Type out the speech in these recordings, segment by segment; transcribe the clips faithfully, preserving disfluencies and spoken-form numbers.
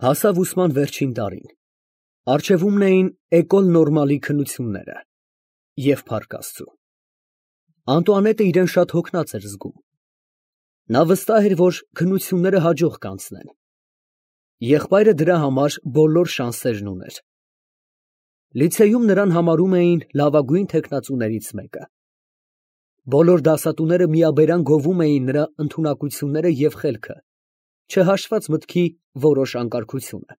Հասավ ուսման վերջին տարին, առջևումն էին Էկոլ Նորմալի քննությունները և փառք Աստծու, Անտուանետը իրան շատ հոգնած էր զգում, նա վստահ էր, որ քննությունները հաջող կանցնեն, եղբայրը դրա համար բոլոր շանսերն ուներ, լիցեյում նրան համարում էին լավագույն թեկնածուներից մեկը, բոլոր դասատուները միաբերան գովում էին նրա ընդունակությունները և խելքը, չհաշված մտքի որոշ անկարգությունը,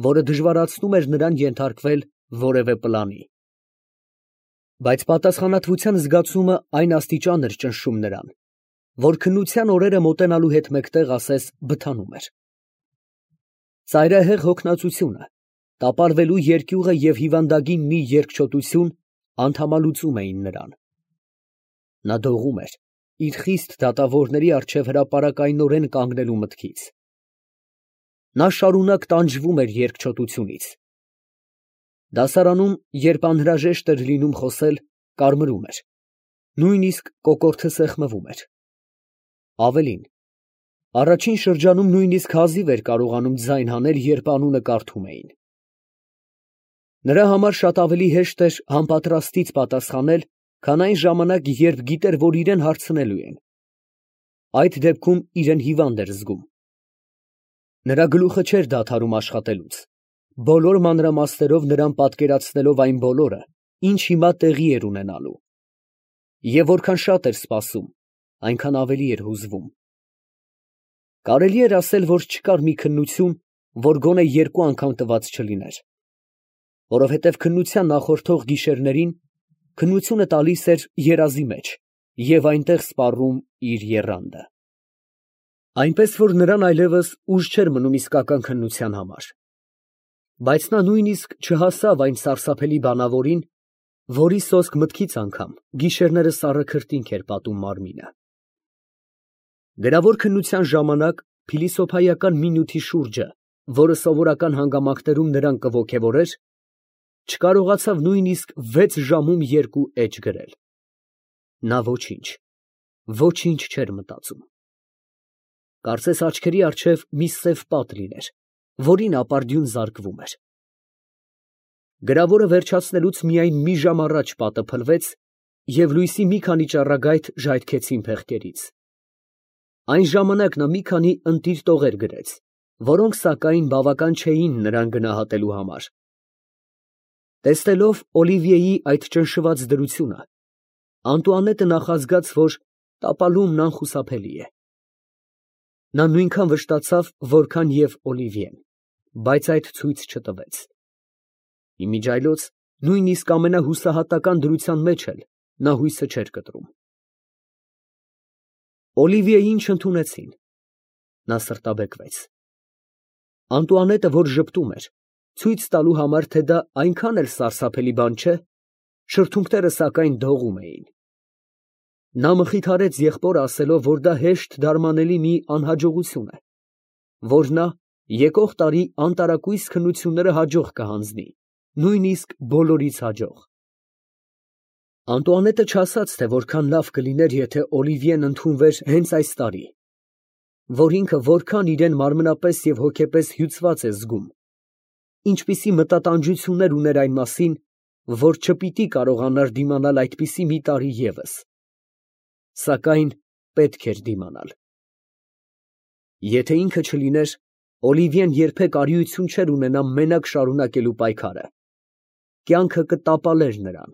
որը դժվարացնում էր նրան ենթարկվել որևէ պլանի, բայց պատասխանատվության զգացումը այն աստիճան էր ճնշում նրան, որ քննության օրերը մոտենալու հետ մեկտեղ ասես բթանում էր, ծայրահեղ հոգնածությունը, տապալվելու երկյուղը և հիվանդագին մի երկչոտություն անդամալուծում էին նրան, նա դողում էր իր խիստ դատավորների առջև հրապարակայնորեն կանգնելու մտքից, նա շարունակ տանջվում էր երկչոտությունից, դասարանում, երբ անհրաժեշտ էր լինում խոսել, կարմրում էր, նույնիսկ կոկորդը սեղմվում էր, ավելին, առաջին շրջանում նույնիսկ հազիվ էր կարողանում ձայն հանել, երբ անունը կարդում էին, նրա համար շատ ավելի հեշտ էր համապատրաստից պատասխանել, քան այն ժամանակ, երբ գիտեր, որ իրան հարցնելու են, այդ դեպքում իրան հիվանդ էր զգում, նրա գլուխը չէր դադարում աշխատելուց, բոլոր մանրամասներով նրան պատկերացնելով այն բոլորը, ինչ հիմա տեղի էր ունենալու, և որքան շատ էր սպասում, այնքան ավելի էր հուզվում, կարելի էր ասել, որ չկար մի քննություն, որ գոնե երկու անգամ տված չլիներ, որովհետև քննության նախորդող գիշերներին քննությունը տալիս էր երազի մեջ և այնտեղ սպառում իր եռանդը, այնպես որ նրան այլևս ուժ չէր մնում իսկական քննության համար, բայց նա նույնիսկ չհասավ այն սարսափելի բանավորին, որի սոսկ մտքից անգամ գիշերները սառը քրտինք էր պատում մարմինը, գրավոր քննության ժամանակ փիլիսոփայական մի նյութի շուրջը, որը սովորական հանգամանքներում նրան կոգևորեր, չկարողացավ նույնիսկ վեց ժամում երկու էջ գրել, նա ոչինչ, ոչինչ չէր մտածում, կարծես աչքերի առջև մի սև պատ լիներ, որին ապարդյուն զարկվում էր, գրավորը վերջացնելուց միայն մի ժամ առաջ պատը փլվեց և լույսի մի քանի ճառագայթ ժայթքեցին փեղկերից, այն ժամանակ նա մի քանի ընտիր տողեր գրեց, որոնք, սակայն, բավական չէին նրան գնահատելու համար, տեսնելով Օլիվիեի այդ ճնշված դրությունը, Անտուանետը նախազգաց, որ տապալումն անխուսափելի է, նա նույնքան վշտացավ, որքան և Օլիվիեն, բայց այդ ցույց չտվեց, իմիջիայլոց նույնիսկ ամենահուսահատական դրության մեջ էլ նա հույսը չէր կտրում, Օլիվիեին չընդունեցին, նա սրտաբեկվեց, Անտուանետը, որ ժպտում էր, ցույց տալու համար, թե դա այնքան էլ սարսափելի բան չէ, շրթունքները սակայն դողում էին, նա մխիթարեց եղբորը ասելով, որ դա հեշտ դարմանելի մի անհաջողություն է, որ նա եկող տարի անտարակույս քննությունները հաջող կհանձնի, նույնիսկ բոլորից հաջող, Անտուանետը չասաց, թե որքան լավ կլիներ, եթե Օլիվիեն ընդունվեր հենց այս տարի, որ ինքը որքան իրան մարմնապես և հոգեպես հյուծված է զգում, ինչպիսի մտատանջություններ ուներ այն մասին, որ չպիտի կարողանար դիմանալ այդպիսի մի տարի ևս, սակայն պետք էր դիմանալ, եթե ինքը չլիներ, Օլիվիեն երբեք արիություն չէր ունենա մենակ շարունակելու պայքարը, կյանքը կտապալեր նրան,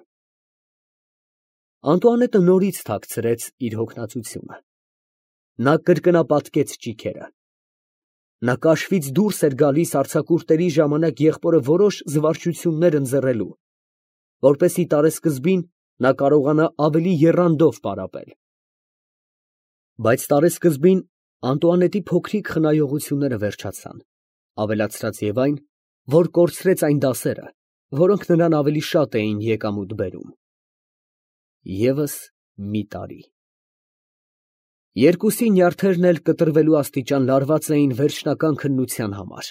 Անտուանետը նորից թաքցրեց իր հոգնածությունը, նա կրկնապատկեց ճիգերը, նա կաշվից դուրս էր գալիս արձակուրդների ժամանակ եղբորը որոշ զվարճություններ ընձեռելու, որպեսզի տարեսկզբին նա կարողանա ավելի եռանդով պարապել, բայց տարեսկզբին Անտուանետի փոքրիկ խնայողությունները վերջացան, ավելացրած և այն, որ կորցրեց այն դասերը, որոնք նրան ավելի շատ էին եկամուտ բերում, ևս մի տարի, երկուսի նյարդերն էլ կտրվելու աստիճան լարված էին վերջնական քննության համար,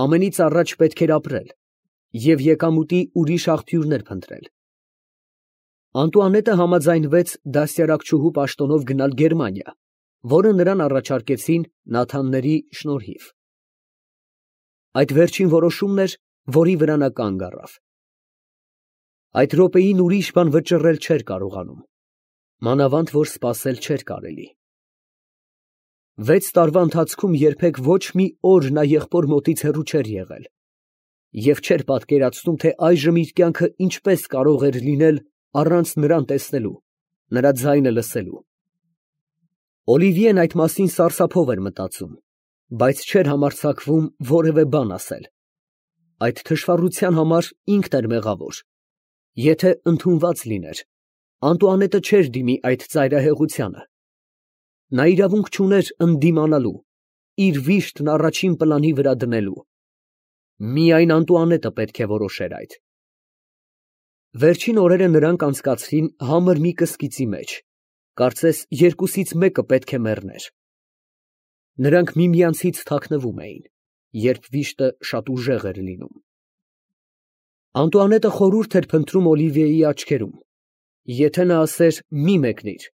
ամենից առաջ պետք էր ապրել և եկամուտի ուրիշ աղբյուրներ փնտրել, Անտուանետը համաձայնվեց դաստիարակչուհու պաշտոնով գնալ Գերմանիա, որը նրան առաջարկեցին Նաթանների շնորհիվ, Այդ վերջին որոշումն էր, որի վրա նա կանգ առավ։ Այդ րոպեին ուրիշ բան վճռել չէր կարողանում, մանավանդ որ սպասել չէր կարելի։ Վեց տարվա ընթացքում երբեք ոչ մի օր նա եղբոր մոտից հեռու չէր եղել և չէր պատկերացնում, թե այժմ իր կյանքը ինչպես կարող էր լինել առանց նրան տեսնելու, նրա ձայնը լսելու։ Օլիվիեն այդ մասին սարսափով էր մտածում, բայց չէր համարձակվում որևէ բան ասել։ Այդ թշվառության համար ինքն էր մեղավոր։ Եթե ընդունված լիներ, Անտուանետը չէր դիմի այդ ծայրահեղությանը։ Նա իրավունք չուներ ընդդիմանալու, իր վիշտն առաջին պլանի վրա դնելու։ Միայն Անտուանետը պետք է որոշեր այդ։ Վերջին օրերը նրանք անցկացրին համր մի կսկիծի մեջ, կարծես երկուսից մեկը պետք է մեռներ։ Նրանք միմյանցից թաքնվում էին, երբ վիշտը շատ ուժեղ էր լինում։ Անտուանետը խորհուրդ էր փնտրում Օլիվիեի աչքերում։ Եթե նա ասեր մի մեկնիր,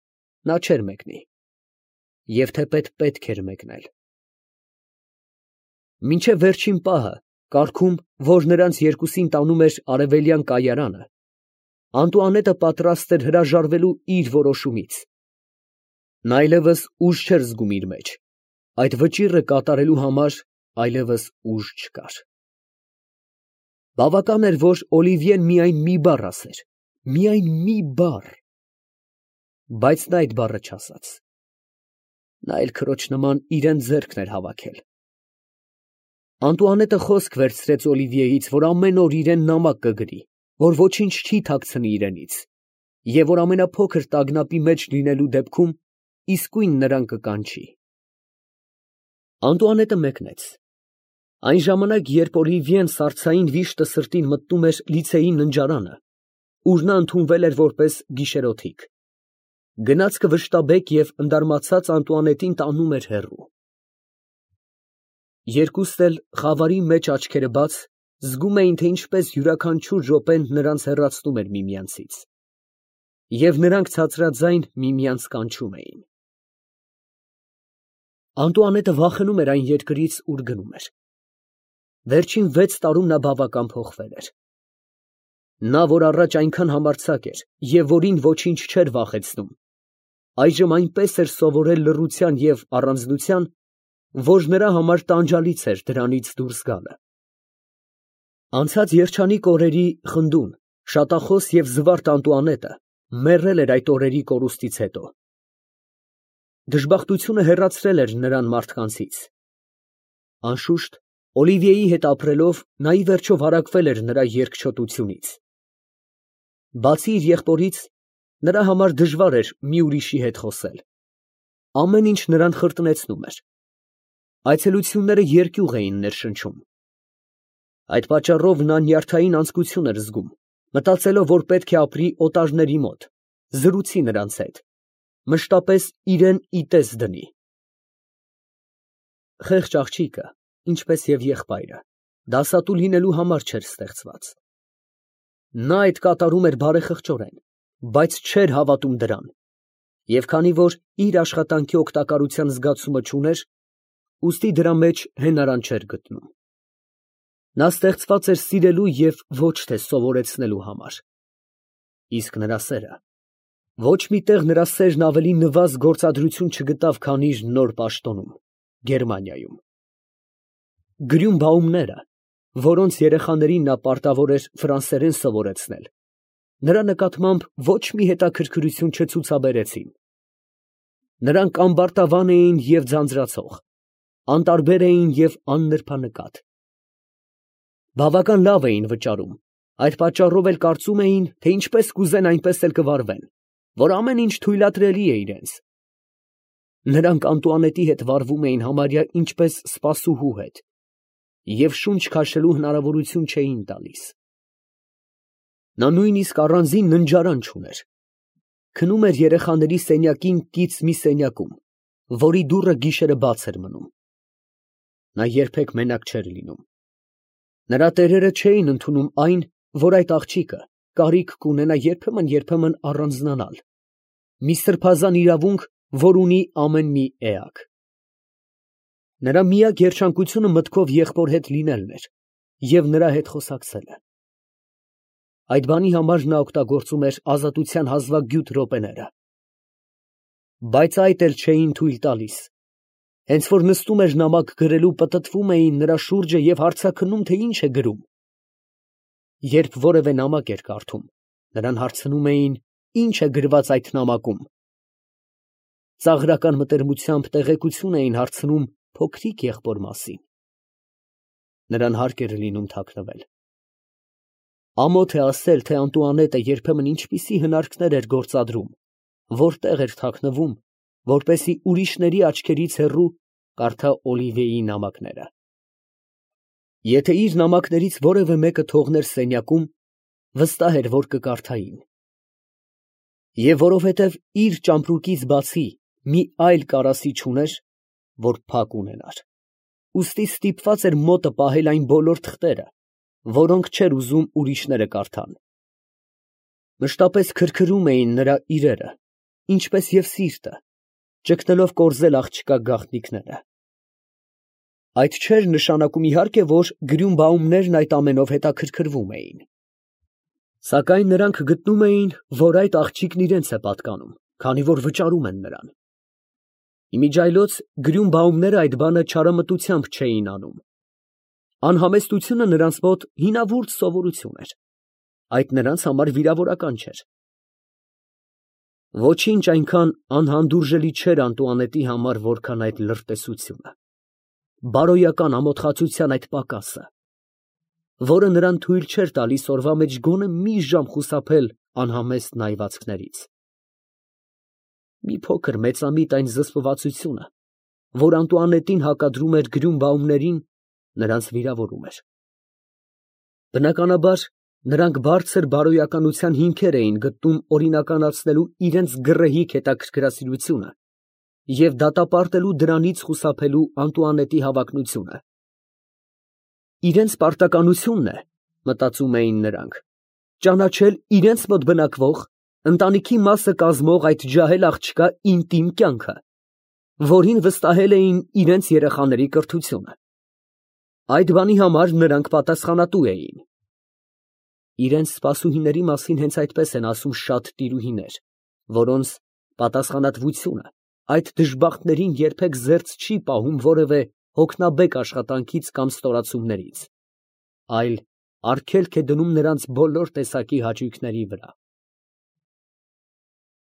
նա չէր մեկնի։ Եվ թեպետ պետք էր մեկնել։ Մինչև վերջին պահը, կարգում, որ նրանց երկուսին տանում էր արևելյան կայարանը, Անտուանետը պատրաստ էր հրաժարվելու իր որոշումից։ Նա այլևս ուժ չէր զգում իր մեջ, այդ վճիռը կատարելու համար այլևս ուժ չկար։ Բավական էր, որ Օլիվիեն միայն մի բառ ասեր, միայն մի բառ, բայց նա այդ բառը չասաց։ Նա էլ քրոջ նման իրան ձեռքն էր հավաքել։ Անտուանետը խոսք վերցրեց Օլիվիեից, որ ամեն օր իրան նամակ կգրի, որ ոչինչ չի թաքցնի իրենից, և որ ամենափոքր տագնապի մեջ լինելու դեպքում իսկույն նրան կկանչի։ Անտուանետը մեկնեց։ Այն ժամանակ, երբ Օլիվիեն սառցային վիշտը սրտին մտնում էր լիցեի ննջարանը, ուր նա ընդունվել էր որպես գիշերօթիկ, գնացքը վշտաբեկ և ընդարմացած Անտուանետին տանում էր հեռու։ Երկուստ էլ, խավարի մեջ աչքերը բաց, զգում էին, թե ինչպես յուրաքանչյուր րոպեն նրանց հեռացնում էր միմյանցից, և նրանք ցածրաձայն միմյանց կանչում էին։ Անտուանետը վախենում էր այն երկրից, ուր գնում էր։ Վերջին վեց տարում նա բավական փոխվել էր։ Նա, որ առաջ այնքան համարձակ էր և որին ոչինչ չէր վախեցնում, այժմ այնպես էր սովորել լռության և առանձնության, որ նրա համար տանջալից էր դրանից դուրս գալը։ Անցած երջանիկ օրերի խնդուն, շատախոս և զվարթ Անտուանետը մեռել էր այդ օրերի կորուստից հետո։ Դժբախտությունը հեռացրել էր նրան մարդկանցից։ Անշուշտ, Օլիվիեի հետ ապրելով, նա ի վերջո վարակվել էր նրա երկչոտությունից։ Բացի իր եղբորից, նրա համար դժվար էր մի ուրիշի հետ խոսել։ Ամեն ինչ նրան խրտնեցնում էր։ Այցելությունները երկյուղ էին ներշնչում։ Այդ պատճառով նա նյարդային անձկություն էր զգում, մտածելով, որ պետք է ապրի օտարների մոտ, զրուցի նրանց հետ, մշտապես իրան ի տես դնի։ Խեղճ աղջիկը, ինչպես և եղբայրը, դասատու լինելու համար չէր ստեղծված։ Նա այդ կատարում էր բարեխղճորեն, բայց չէր հավատում դրան, և քանի որ իր աշխատանքի օգտակարության զգացումը չուներ, ուստի դրա մեջ հենարան չէր գտնում։ Նա ստեղծված էր սիրելու և ոչ թե սովորեցնելու համար։ Իսկ նրա սերը… Ոչ մի տեղ նրա սերն ավելի նվազ գործադրություն չգտավ, քան իր նոր պաշտոնում, Գերմանիայում։ Գրյունբաումները, որոնց երեխաներին նա պարտավոր էր ֆրանսերեն սովորեցնել, նրա նկատմամբ ոչ մի հետաքրքրություն չցուցաբերեցին։ Նրանք ամբարտավան էին և ձանձրացող, անտարբեր էին և աննրբանկատ։ Բավական լավ էին վճարում, այդ պատճառով էլ կարծում էին, թե ինչպես կուզեն, այնպես էլ կվարվեն, որ ամեն ինչ թույլատրելի է իրենց։ Նրանք Անտուանետի հետ վարվում էին համարյա ինչպես սպասուհու հետ և շունչ քաշելու հնարավորություն չէին տալիս։ Նա նույնիսկ առանձին ննջարան չուներ։ Քնում էր երեխաների սենյակին կից մի սենյակում, որի դուռը գիշերը բաց էր մնում։ Նա երբեք մենակ չէր լինում։ Նրա տերերը չէին ընդունում այն, որ այդ աղջիկը կարիք կունենա երբեմն֊երբեմն առանձնանալ, մի սրբազան իրավունք, որ ունի ամեն մի էակ։ Նրա միակ երջանկությունը մտքով եղբոր հետ լինելն էր և նրա հետ խոսակցելը։ Այդ բանի համար նա օգտագործում էր ազատության հազվագյուտ րոպեները։ Բայց այդ էլ չէին թույլ տալիս։ Հենց որ նստում էր նամակ գրելու, պտտվում էին նրա շուրջը և հարցաքննում, թե ինչ է գրում։ Երբ որևէ նամակ էր կարդում, նրան հարցնում էին, ինչ է գրված այդ նամակում։ Ծաղրական մտերմությամբ տեղեկություն էին հարցնում փոքրիկ եղբոր մասին։ Նրան հարկ էր լինում թաքնվել։ Ամոթ է ասել, թե Անտուանետը երբեմն ինչպիսի հնարքներ էր գործադրում, որտեղ էր թաքնվում, որպեսզի ուրիշների աչքերից հեռու կարդա Օլիվիեի նամակները։ Եթե իր նամակներից որևէ մեկը թողներ սենյակում, վստահ էր, որ կկարդային։ Եվ որովհետև իր ճամպրուկից բացի մի այլ կարասի չուներ, որ փակ ունենար, ուստի ստիպված էր մոտը պահել այն բոլոր թղթերը, որոնք չէր ուզում ուրիշները կարդան։ Մշտապես քրքրում էին նրա իրերը, ինչպես և սիրտը, ճգնելով կորզել աղջկա գաղտնիքները։ Այդ չէր նշանակում, իհարկե, որ Գրյունբաումներն այդ ամենով հետաքրքրվում էին։ Սակայն նրանք գտնում էին, որ այդ աղջիկն իրենց է պատկանում, քանի որ վճարում են նրան։ Իմիջիայլոց Գրյունբաումները այդ բանը չարամտությամբ չէին անում։ Անհամեստությունը նրանց մոտ հինավուրց սովորություն էր։ Այդ նրանց համար վիրավորական չէր։ Ոչինչ այնքան անհանդուրժելի չէր Անտուանետի համար, որքան այդ լրտեսությունը, բարոյական ամոթխածության այդ պակասը, որը նրան թույլ չէր տալիս օրվա մեջ գոնե մի ժամ խուսափել անհամեստ նայվածքներից։ Մի փոքր մեծամիտ այն զսպվածությունը, որ Անտուանետին հակադրում էր Գրյունբաումներին, նրանց վիրավորում էր։ Բնականաբար, նրանք բարձր բարոյականության հիմքեր էին գտնում օրինականացնելու իրենց գռեհիկ հետաքրքրասիրությունը և դատապարտելու դրանից խուսափելու Անտուանետի հավակնությունը։ Իրենց պարտականությունն է, մտածում էին նրանք, ճանաչել իրենց մոտ բնակվող, ընտանիքի մասը կազմող այդ ջահել աղջկա ինտիմ կյանքը, որին վստահել էին իրենց երեխաների կրթությունը։ Այդ բանի համար նրանք պատասխանատու էին։ Իրենց սպասուհիների մասին հենց այդպես են ասում շատ տիրուհիներ, որոնց պատասխանատվությունը այդ դժբախտներին երբեք զերծ չի պահում որևէ հոգնաբեկ աշխատանքից կամ ստորացումներից, այլ արգելք է դնում նրանց բոլոր տեսակի հաճույքների վրա։